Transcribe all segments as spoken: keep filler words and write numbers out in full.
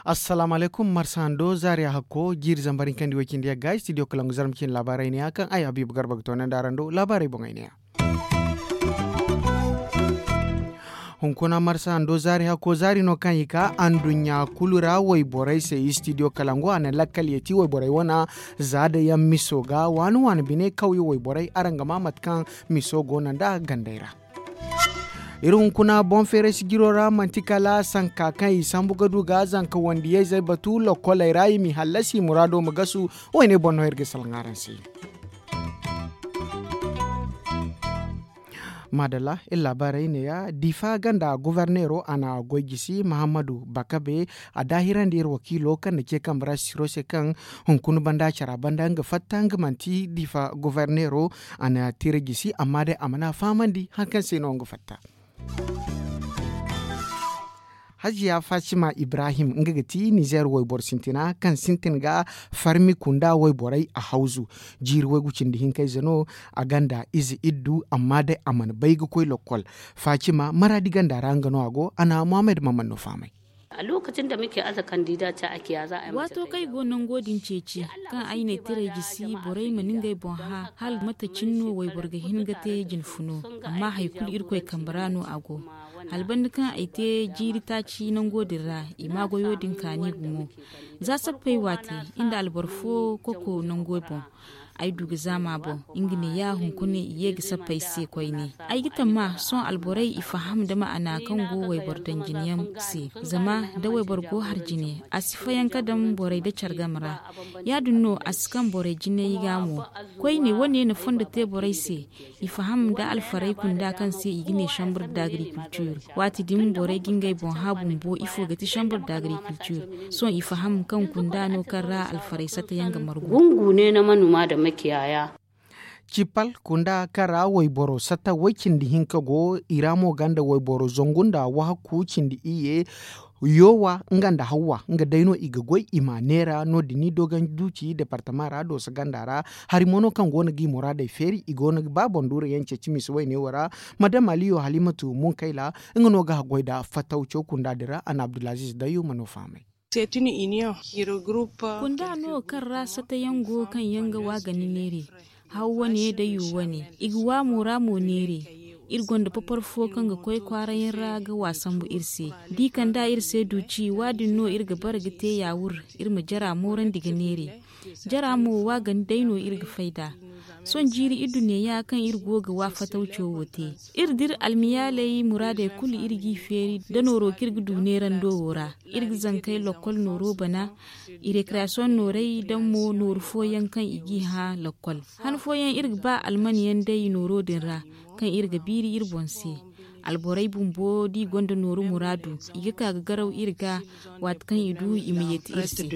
Assalaamu alaykum. Marsa hando zaari a hakko jiiri zambar hinkandi way cindi yagga studio kalangu zarma cine laabaarey neeya kaŋ ay habiibu garba ga toonandi araŋ do laabaarey boŋey neeya. Hunkuna marsa hando zaari hakko zaari no kaŋ i ka anduɲɲa kulu ra wayborey se studio kalangu a na lakkal yeeti wayborey wana za da yaŋ miso ga waani waani bine kawye wayborey araŋ ga maa mate kaŋ miso go no nd'a gandey ra. Iri hunkuna boŋ feeray sijiro ra manti kala sanka kaŋ i sambu ga du ga zanka wandiyayzey batu lokkoley ra i m'i hallasi muraado ma gasu. Wayne boŋ no iri ga salaŋ araŋ se. Maadalla iri laabaarey neeya diifa ganda goforneero a na goy jisi mahammadu bakabe. A daahirandi iri wakiilo kaŋ na ce kambe ra sisiro se kaŋ hunkuna banda cara banda nga fatta nga manti diifa goforneero. A na tira jisi amma day a mana fahamandi hari kaŋ se no nga fatta. Hajiya fatima ibrahim nga ga ti nizeer wayboro sintina kaŋ sintin ga farmi kunda wayborey a hawzu. Jiiri waygu cindi hinkayze no a ganda ize iddu amma day a mana bay ga koy lokkol. Fatima maraadi ganda ra nga no a go a na muhammad maman no fahamay. Waato kaŋ ay go nango din ceeci kaŋ ay ne tiray jisi borey ma ni ngey boŋ hã hala mate cine no wayboro ga hin ga te jinfuno. Amma hari kulu irkoy kambe ra no a go. Hala banda kaŋ ay te jiiri taaci nango din ra i ma goyo din kaani gumo. Za sappey waate, iri nda alboro fo koko nango boŋ. Ay du ga zaama boŋ. Nga neeya hunkuna i ye ga sappey se koyne. Ay ga tamma sohõ alborey i faham nda ma'ana kaŋ go wayboro daŋ jine yaŋ se. Zama da wayboro go har jine a si fayanka daŋ borey nda care game ra. Ya- din no a si kaŋ borey jinay ga mo. Koyne wane na fondo te borey se. I faham nda alfarey kunda kaŋ se i ga ne chambre d'agriculture. Waati din borey ga ngey boŋ hã bumbo ifo ga ti chambre d'agriculture. Sohõ i faham kaŋ kunda no kaŋ ra alfarey satta yaŋ ga margu. Gungu ne na manuma da makiyaya. Cipal kunda kaŋ ra wayboro satta way cindi hinka go i ra mo ganda wayboro zangu nda wahakku cindi iyye. Yoowa nga nda hawwa nga day no i ga goy i ma neera no- din i dogon duuci departama ra dooso ganda ra. Hari mo no kaŋ go no ga i muraadey feeri i go no ga ba boŋ duuru yaŋ ceeci misa wayne wo ra. Madam aliyo halimatu munkayla nga no ga haggoy nda fattaw caw kunda din ra a na abdulaziz dayyuma no fahamay. Kunda no kaŋ ra satayaŋ go kaŋ yaŋ ga wa gani neere. Haw wane da yu wane i ga wa mo ra mo neere. Iri gonda papar fo kaŋ ga koy kwaara yaŋ ra ga wa sambu iri se. Da i kand'a iri se duuci wa- din no iri ga bare ga te yaawur. Iri ma jara moorandi ga neere. Jara mo wa gani day no iri ga fay nd'a. Sohõ jiiri iddu neeya kaŋ iri go ga wa fatawco wo te. Iri dira almiyaaley muraadey kulu iri g'i feeri nda nooro kaŋ iri ga du neerando wo ra. Iri ga zankey lokkol nooro bana. I rekreyasiyoŋ noorey daŋ mo nooru fooyaŋ kaŋ i g'i hã lokkol. Han fooyaŋ iri ga ba alman yaŋ day nooro din ra kaŋ iri ga biiri iri boŋ se. Alborey bumbo da i gonda nooru muraadu i ga ka ga garaw iri ga. Waati kaŋ i du i ma yeeti iri se.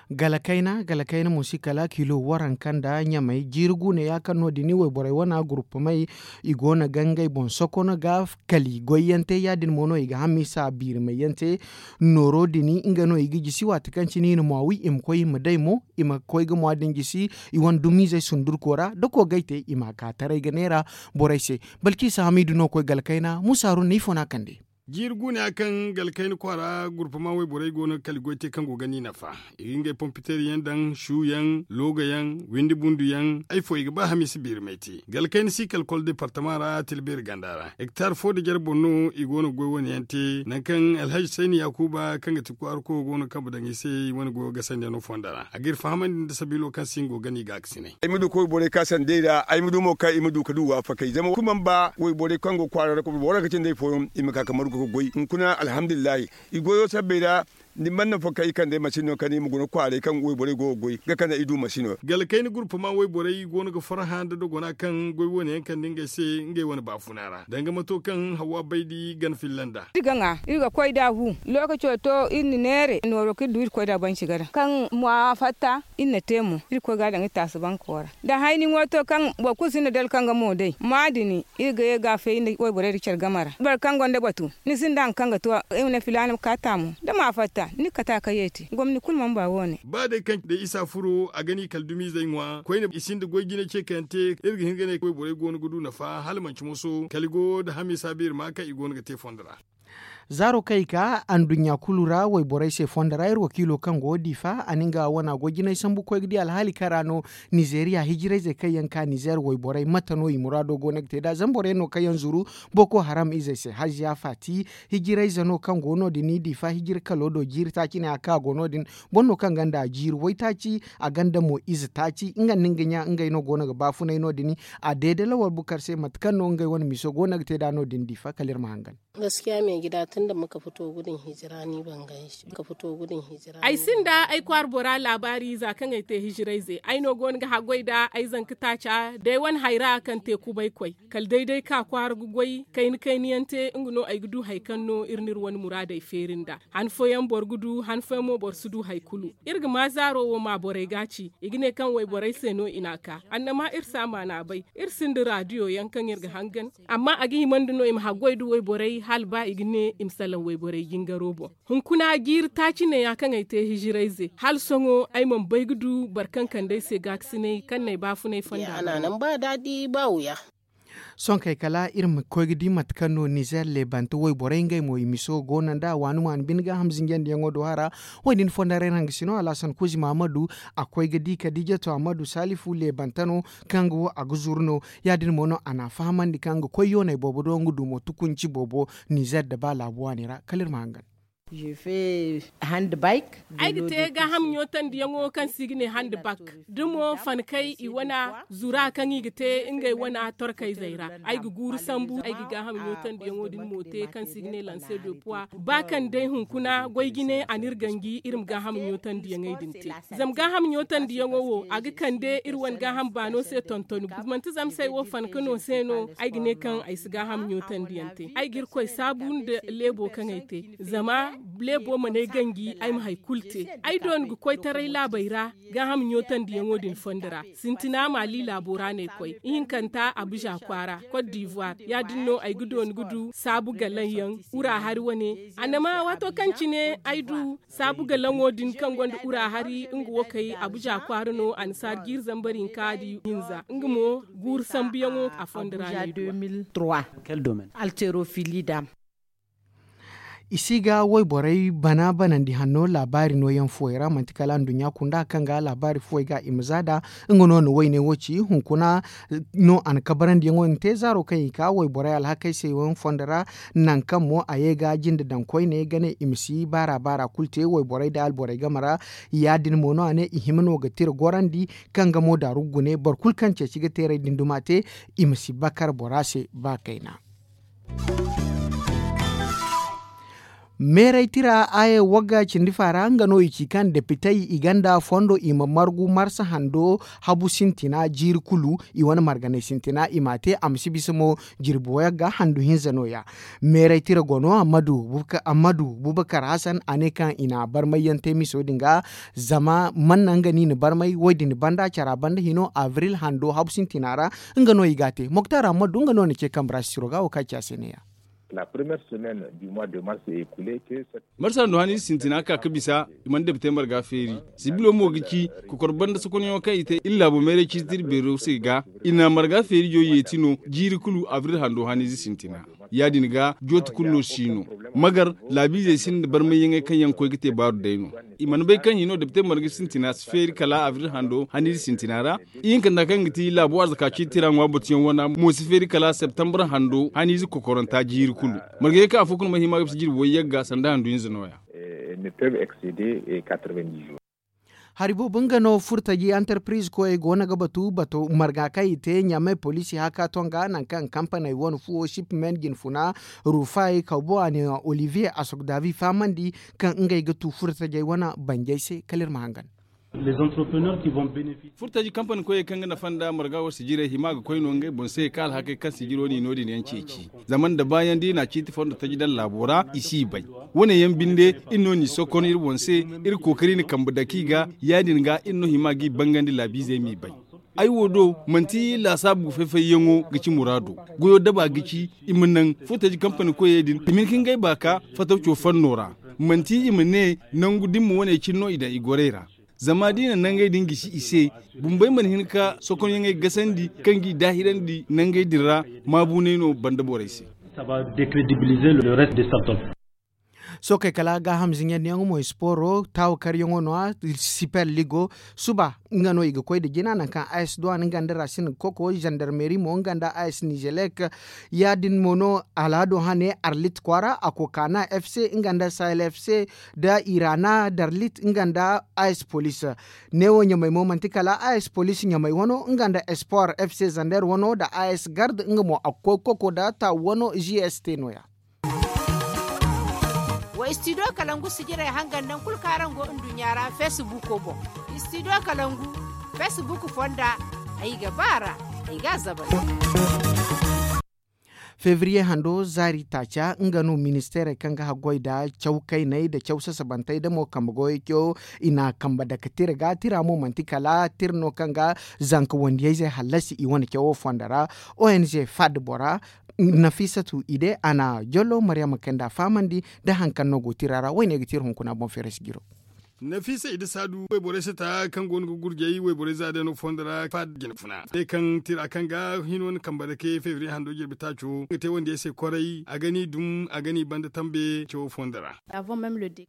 Galakayna galakayna mo si kala kilo waranka nda ɲamay jiiri guuneya kaŋ no- din wayborey wana gurupamey. I go no ga ngey boŋ sokono ga kali goyyaŋ te ya- din mo no i ga hamisa biirimayyaŋ te. Nooro din nga no i ga jisi waati kaŋ cine i na mwa wi i ma koy i ma day mo i ma koy ga mwa din jisi. I wane dumiizey sundurko ra da koogay te i ma a ka taray ga neera borey se. Balkiisa hamiidu no koy galkayna musa haruna ifo no a kande. Jiiri guuneya kaŋ galkayna kwaara gurpama wayborey go no ga kali goy te kaŋ go ga ni nafa. I ga ngey pompiteer yaŋ daŋ su yaŋ looga yaŋ windi bundu yaŋ ay fo i ga ba hamiisa biirimay te galkayna si kalkol departama ra tilbeeri ganda ra hektar fo da jare boŋ no i go no ga goy wane yaŋ te nangu kaŋ alhazi sayni yaakuba kaŋ ga ti kwaara koyo go no ga kambe daŋ i se i wane goyo gasandi yaŋ no fonda ra a ga iri fahamandi nda sabiilo kaŋ se nga go ga ni gaakasinay. Ay ma du koy borey ka sandey ra ay ma du mo kaŋ i ma du ga du waafakey zama kulu mana ba wayborey kaŋ go kwaara ra kulu boro ra ga cindi ay fooyaŋ i ma ka ga margu ga goy hunkuna alhamdulillahi. I goyo sabbey ra. Ni mana nafa kaŋ i kande masiino kaŋ i ma guna kwaaray kaŋ wayborey go ga goy ga kande i du masiino. Galkayna gurpama wayborey go no ga farhã nda dogona kaŋ goy wane yaŋ kande ngey se ngey wane baafuna ra danga mato kaŋ hawa baydi gana filla nd'a. Iri ga ŋwa iri ga koy nd'a hu. Lookaco to iri na neere nooro kaŋ iri du iri ga koy nd'a banci ga daŋ kaŋ mwa fatta. Iri na te mo iri ga koy ga a daŋ iri taasi banko ra da hayni ŋwa to kaŋ boro kulu sinda dala kaŋ ga mo day mwa din iri ga ye ga a feeri nda wayborey nda care game ra boro kaŋ gonda batu ni sinda hari kaŋ ga to. Ay ma ne filaana ma ka taamo da mwa fatta. Ni ga kate a kayyey te gomni kulu mana ba wo- ne. Ba day kaŋ day isa furo a ga ni kala dumizey ŋwa koyne i sinda goy jine ce kaŋ yaŋ te iri ga hin ga ne wayborey go no ga du nafa hala manci moso kala i go nda hame saabu iri ma kaŋ i go no ga te fondo ra. Zaaro kaŋ i ka anduɲɲa kulu ra wayborey se fondo ra iri wakiilo kaŋ go diifa a na nga wana goy jinay sambu koy ga di alhaali kaŋ ra no. Nizeeriya hijirayzey kaŋ yaŋ ka nizeer wayborey mate no i muraado go no ga te nd'a zama boro yaŋ no kaŋ yaŋ zuru boko haram izey se haziya faati. Hijirayze no kaŋ go no- din diifa hijira kalo do jiiri taaci ne a kaŋ a go no- din. Boro no kaŋ gonda jiiri waytaaci a gonda mo ize taaci nga nda nga ɲa ngey no go no ga baafunay no- din. A deede lawal bukar se mate kaŋ no ngey wane miso go no ga te nd'a no- din diifa kala iri ma hangan. Gaskiya me gida tun da muka fito gudun hijira ni ban gan shi muka fito gudun hijira. Ay sinda ay kwaara bora laabaari za kaŋ ay te hijirayze ay no go no ga haggoy nda ay zanka taaca day wane hayra kaŋ te kubay koy. Kala day day ka kwaara ga goy kayna kayna yaŋ te nga no ay ga du hari kaŋ no iri n'iri wane muraadey feeri nd'a. Han fooyaŋ boro ga du han fooyaŋ mo boro si du hari kulu. Iri ga ma zaaro wo ma borey ga a ci i ga ne kaŋ wayborey se no i n'a ka annama iri si a maana bay. Iri sinda raadiyo yaŋ kaŋ iri ga hangan. Amma a ga hima nda no i ma haggoy nda wayborey hala ba i ga ne i ma salaŋ wayborey jingaro boŋ. Hunkuna jiiri taaci neeya kaŋ ay te hijirayze hala sohõ ay mana bay ga du boro kaŋ kande ay se gaakasinay kaŋ n'ay baafunay fonda. Sohõ kay kala iri ma koy ga di mate kaŋ no nizeer leebante wayborey ngey mo i miso go no nd'a waani waani bine gaaham zinjandiyaŋo do hara. Wo- din fonda ra iri hangasino alhasan kuuzi mahamadu a koy ga di kadiijatu ahmadu saalifu leebante no kaŋ ga wo a ga zuru no. Ya- din mo no a n'a fahamandi kaŋ ga koy yooney boobo do nga du mo tukunci boobo nizeer nda ba laabu waani ra kala iri ma hangan. Ay ga te gaaham ɲootandiyaŋo kaŋ se i ga ne handbak da mo fankey i wane zura kaŋ i ga te ngey wane torkayzey ra. Ay ga guuru sambu ay ga gaaham ɲootandiyaŋo din mo te kaŋ se i ga ne lanse de puwa ba kaŋ day hunkuna goy jine a n'iri ganji iri ma gaaham ɲootandiyaŋey din te. Zama gaaham ɲootandiyaŋo wo a ga kande iri wane gaaham baano se tontoni manti zama se ay wo fanka no se no ay ga ne kaŋ ay si gaaham ɲootandiyaŋ te. Ay ga irkoy saabu nda leebo kaŋ ay te zama leebo mana ay ganji ay ma hari kulu te. Ay dooni ga koytaray laabey ra gaaham ɲootandiyaŋo din fondo ra. Sintina maali laabo ra no ay koy ihinkanta abuza kwaara kot divuwar ya- din no ay ga dooni ga du saabu galaŋ yaŋ wura hari wane. Annama waato kaŋ cine ay du saabu galaŋo din kaŋ gonda wura hari nga wo kay abuza kwaara no a na saari jiiri zambar hinka di hinza nga mo guuru sambuyaŋo a fondo ra no ay du. Altero fili dam. I si ga wayborey bana banandi hanno laabaari nooyaŋ fuwey ra manti kala nduɲɲa kunda kaŋ ga laabaari fuwey ga i ma za nd'a. Nga no na wayne wo ci hunkuna no a na kabarandiyaŋo din te zaaro kaŋ i ka wayborey alhakey se yaŋ fondo ra. Nangu kaŋ mo a ye ga jinde daŋ koyne ga ne i ma si baara baara kulu te wayborey nda alborey game ra. Ya- din mo no a ne i hima no ga tira gorandi kaŋ ga mo daaru gune boro kulu kaŋ ceeci ga teeray din duma te i ma si bakar bora se ba kayna. Meeray tira aye wagga cindi faara nga no i ci kaŋ depitey i gonda fondo i ma margu marsa hando habu sintina jiiri kulu i wane marganay sintina i m'a te a ma si bisa mo. Jirbi wayagga handu hinza no- ya. Meeray tira go no ammadu bubakar hasan a ne kaŋ i na barmayyaŋ te miso din ga. Zama manna nga no i na barmay wo- din banda cara banda hino abril hando habu sintina ra. Nga no i g'a te moktar ammadu nga no na ce kambe ra sisiro ga wo kaŋ a ci a se ne- ya. Marsa hando haniize sintina ka ga bisa i mana depite marga feeri. Sibilo mo ga ci kokor banda sokonyaŋo kaŋ i te iri laabo meeray ciiti iri beero se ga. I na marga feeri jo yeeti no jiiri kulu abril hando haniize sintina. Ya- din ga jooti kulu no si no. Magar laabiizey sinda barmayyaŋey kaŋ yaŋ koy ga te baaru day no. I mana bay kaŋ hino depite marga sintina si feeri kala abril hando haniize sintina ra. Ihinkanta kaŋ ga ti laabo arzaka ciiti ra ŋwa batuyaŋ wana mo si feeri kala septembre hando haniize kokoranta jiiri kulu. Margayey kaŋ afo kulu mana hima ga bisa jirbi wayyagga sanda handu hinza no- ya. Hari boobo nga no furtaji antarpiriz koyey go no ga batu marga kaŋ i te ɲamay poliisi haka tonga nangu kaŋ kampaney wane fuwo sipmen jinfuna rufay kawbo a ne olivier asogdavi fahamandi kaŋ ngey ga tu furtajey wane banjey se kala iri ma hangan. Furtaji kampani koyey kaŋ ga nafa nda marga wo sijirey hima ga koy no ngey boŋ se ka alhakey kaŋ sijiro no i no- din yaŋ ceeci. Zama nda baayaŋ da i na ciiti fondo taji daŋ laabo ra i si i bay. Wo- ne yaŋ binde iri no n'i sokon iri boŋ se. Iri kookari na kambe dake i ga ya- din ga iri no hima g'i bangandi laabiizey m'i bay. Ay wo do manti laasaabu fay-fayyaŋo ga ci muraado. Goyo daba ga ci i ma naŋ footaji kampani koyey din i ma hin ka ngey baaka fatawco fanno ra. Manti i ma ne nangu da ni ma wane cine no i daŋ i gorey ra. Zama da i na nangey din gisi i se, bumbey mana hin ka sokonyaŋey gasandi kaŋ g'i daahirandi nangey din ra. Maabuunay no banda borey se. Sookey kala gaaham ziɲandiyaŋo mo ispooro taawakaryaŋo no-ya. Siper ligo suba nga no i ga koy nda jina nangu kaŋ a s duwan nga nda rasin ga koko zandarmeri mo nga nda a s nizelek. Ya-din mo no alhado hane arlit kwaara a kokaana f c nga nda sahel f c nda irana darlit nga nda a s polis. Neewo ɲamay mo manti kala a s polis ɲamay wano nga nda espoir f c zander wano nda a s gard nga mo a ga koy koko nda taawu wano g s t no-ya. Wa istidiyo kalangu sijirey hangan nangu kulu kaŋ araŋ go nduɲɲa ra feesibuuko boŋ. Istidiyo kalangu feesibuuk fonda. Ay ga ba a ra, ay ga a zabay. Febriye hando zaari taaca nga no ministeerey kaŋ ga haggoy nda caw kayney nda caw sasabantey nda mo kambe goyey cawo. I n'a kambe dake tira ga tira mo manti kala tira no kaŋ ga zanka wandiyayzey hallasi i wane cawo fonda ra. O n g fad bora nafisatu ide a na jollo maryama kay nd'a fahamandi nda hari kaŋ no go tira ra wayne ga tira hunkuna boŋ feeray si jiro. Nafisa ide saadu wayborey sata kaŋ go no ga gurjay wayborey za day no fondo ra faad jine funa ne kaŋ tira kaŋ ga hino na kambe dake febriye hando jirbi taaco ga te wandiyey se kwaray a ga ni dum a ga ni banda tambe cawo fondo ra.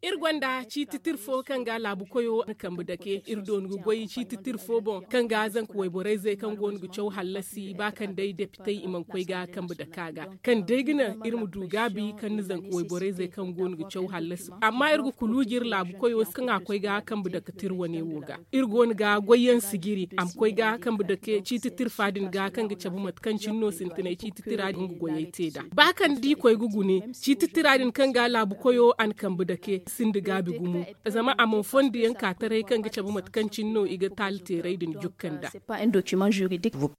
Iri gonda ciiti tira fo kaŋ ga laabu koyo na kambe dake iri doonu ga goy ciiti tira fo boŋ kaŋ ga zanka wayborey zey kaŋ go no ga caw hallasi ba kaŋ day depitey i mana koy ga kambe dake a ga kaŋ day ga naŋ iri ma du gaabi kaŋ na zanka wayborey zey kaŋ go no ga caw hallasi. Amma iri ga kuluuji iri laabu koyo kaŋ a koy ga kambe dake tira wane wo ga iri go no ga goyyaŋ sijiri a ma koy ga kambe dake ciiti tira fa din ga kaŋ ga cabe mate kaŋ cine no sintinay ciiti tira din ga goyey te nd'a ba kaŋ da i koy ga gune ciiti tira din kaŋ ga laabu koyo a na kambe dake sinda gaabi gumo. Zama a mana fondo yaŋ ka taray kaŋ ga cabe mate kaŋ cine no i ga taali teeray din jukka nd'a.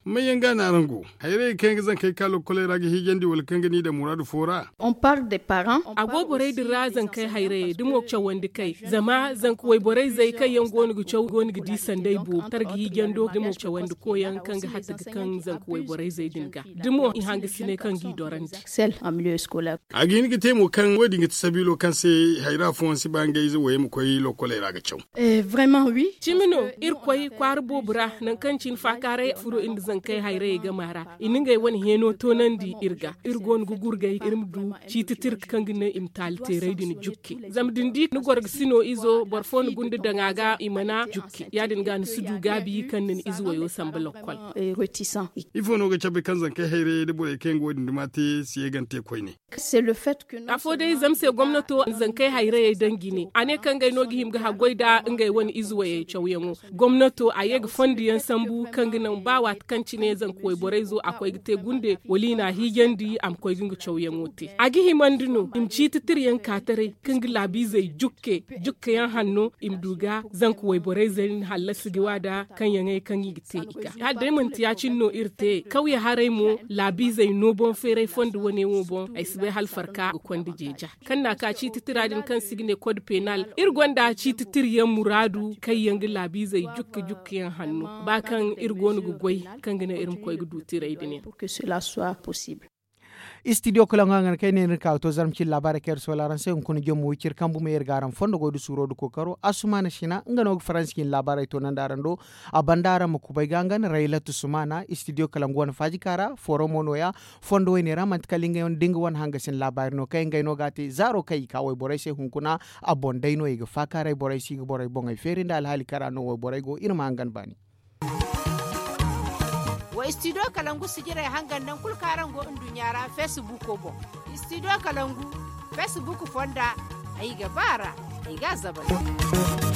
Manyaŋ ga no araŋ go? Hayrayey kaŋ yaŋ ga zankey ka lokkoley ra ga hiijandi wala kaŋ ga ni daŋ muraadu fo ra? A go borey din ra zankey hayrayey da mo cawandi kay zama zanka wayborey zey kaŋ yaŋ go no ga caw go no ga di sanday boobo targa hiijando da mo cawandi koyaŋ kaŋ ga hatta ga kaŋ zanka wayborey zey din ga da mo i hangasiney kaŋ g'i dorandi. A ga hin ga te mo kaŋ wo- din ga ti sabiilo kaŋ se hayra fooyaŋ si ba ngey ize wayey ma koy lokkoley ra ga caw. Cimi no iri koy kwaara boobo ra nangu kaŋ cine faakaaray furo iri nda zankey hayrayey gama ra i na ngey wane heeno toonandi iri ga iri go no ga gurgay iri ma du ciiti tira kaŋ ga naŋ i ma taali teeray din jukke. Zama da ni di ni gorgasino izo boro fo na gunda daŋ a ga i mana jukke ya- din ga ni si du gaabi kaŋ na ni ize wayo samba lokkol. Ifo no ga cabe kaŋ zankey hayrayey da borey kaŋ yaŋ ga wo- din duma te si ye gante koyne? Afo day zama se gomnato zankey hayrayey daŋ jine a ne kaŋ ngey no ga hima ga haggoy nda ngey wane ize wayey cawyaŋo. Gomnato a ye ga fondo yaŋ sambu kaŋ ga naŋ ba waati kaŋ cine zanka wayborey zo a koy ga te gunde wala i n'a hiijandi a ma koy ga nga cawyaŋo te a ga himandi no i ma ciiti tira yaŋ ka taray kaŋ ga laabiizey jukke jukke yaŋ hanno i ma du ga zanka wayborey zey na hallasi ga wa nda kaŋ yaŋey kaŋ i ga te i ga hala day manti ya- cine no iri te kawya haray mo laabiizey no boŋ feeray fondo wane wo boŋ ay si bay hala farka ga konda jeeja. Kaŋ n'a ka ciiti tira din kaŋ se i ga ne kod penal iri gonda ciiti tira yaŋ muraadu kaŋ yaŋ ga laabiizey jukka jukka yaŋ hanno ba kaŋ iri go no ga goy kaŋ ga naŋ iri ma koy ga du tiray din yaŋ. Istidiyo kala nga nga ne kay ne ni ka ga to zarma cine laabaarey kaŋ iri soola araŋ se hunkuna jommo wiciri kambu me iri ga araŋ fondo goy da suuro da kookaro asumaana sina nga no ga faransi cine laabaarey toonandi araŋ do. A banda araŋ ma kubay ga nga na raylatu sumaana istidiyo kala nga wane faajika ra fooro mo nooya. Fondo wayne ra manti kala ngey wane da nga wane hangasin laabaari no kaŋ ngey no ga a te zaaro kaŋ i ka wayborey se hunkuna. A boŋ day no i ga faakaaray borey se i ga borey boŋey feeri nda alhaali kaŋ ra no wayborey go iri ma hangan baani. Wa istidiyo kalangu sijirey hangan nangu kulu kaŋ araŋ go nduɲɲa ra feesibuuko boŋ. Istidiyo kalangu feesibuuko fonda ay ga ba a ra ay ga a zabay.